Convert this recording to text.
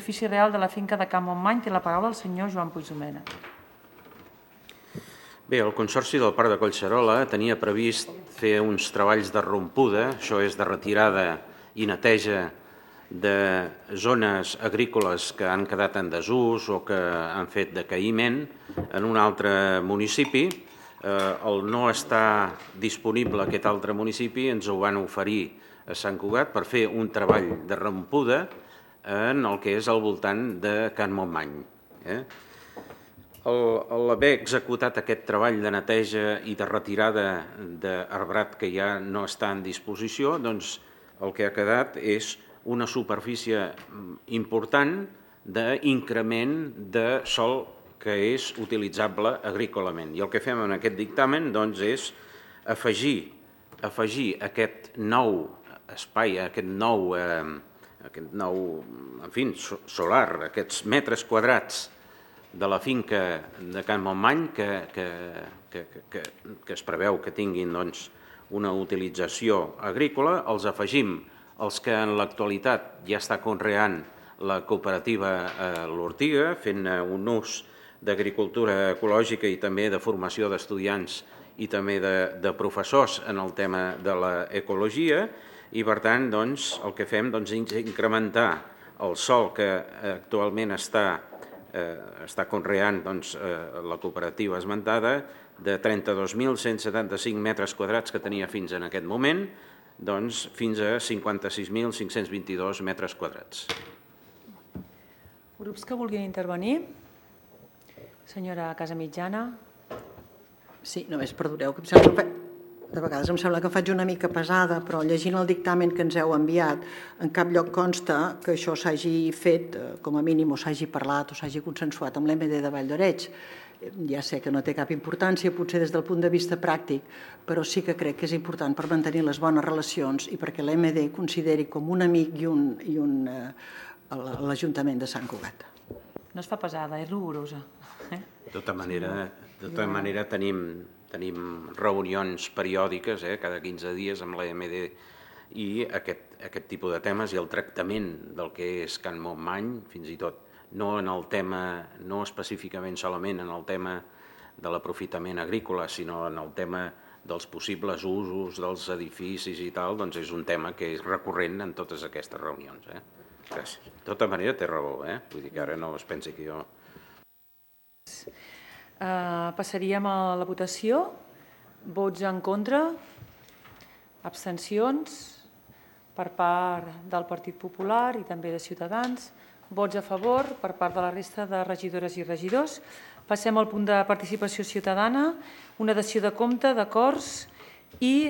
superfície real de la finca de Can Montmany. Té la paraula el senyor Joan Puigdomena. Bé, el Consorci del Parc de Collserola tenia previst fer uns treballs de rompuda, això és de retirada i neteja de zones agrícoles que han quedat en desús o que han fet decaïment en un altre municipi. El no està disponible aquest altre municipi, ens ho van oferir a Sant Cugat per fer un treball de rompuda en el que és al voltant de Can Montmany. L'haver executat aquest treball de neteja i de retirada d'arbrat que ja no està en disposició, doncs el que ha quedat és una superfície important d'increment de sòl que és utilitzable agrícolament. I el que fem en aquest dictamen doncs, és afegir aquest nou espai, aquest nou solar, aquests metres quadrats de la finca de Can Montmany que es preveu que tinguin una utilització agrícola, els afegim els que en l'actualitat ja està conreant la cooperativa L'Ortiga, fent un ús d'agricultura ecològica i també de formació d'estudiants i també de professors en el tema de l'ecologia, i per tant el que fem és incrementar el sòl que actualment està conreant la cooperativa esmentada de 32.175 metres quadrats que tenia fins en aquest moment, fins a 56.522 metres quadrats. Grups que vulguin intervenir? Senyora Casamitjana. Sí, només perdoneu, que em sembla que de vegades em sembla que faig una mica pesada, però llegint el dictamen que ens heu enviat, en cap lloc consta que això s'hagi fet, com a mínim, o s'hagi parlat o s'hagi consensuat amb l'MD de Vall d'Arenys. Ja sé que no té cap importància, potser des del punt de vista pràctic, però sí que crec que és important per mantenir les bones relacions i perquè l'MD consideri com un amic l'Ajuntament de Sant Cugat. No es fa pesada, és rigorosa. De tota manera tenim reunions periòdiques, cada 15 dies amb l'AMD, i aquest tipus de temes i el tractament del que és Can Montmany, fins i tot no en el tema, no específicament solament en el tema de l'aprofitament agrícola, sinó en el tema dels possibles usos dels edificis i tal, doncs és un tema que és recurrent en totes aquestes reunions. Gràcies. De tota manera té raó, vull dir que ara no es pensi que jo... Passaríem a la votació. Vots en contra, abstencions per part del Partit Popular i també de Ciutadans, vots a favor per part de la resta de regidores i regidors. Passem al punt de participació ciutadana, una dació de compte d'acords i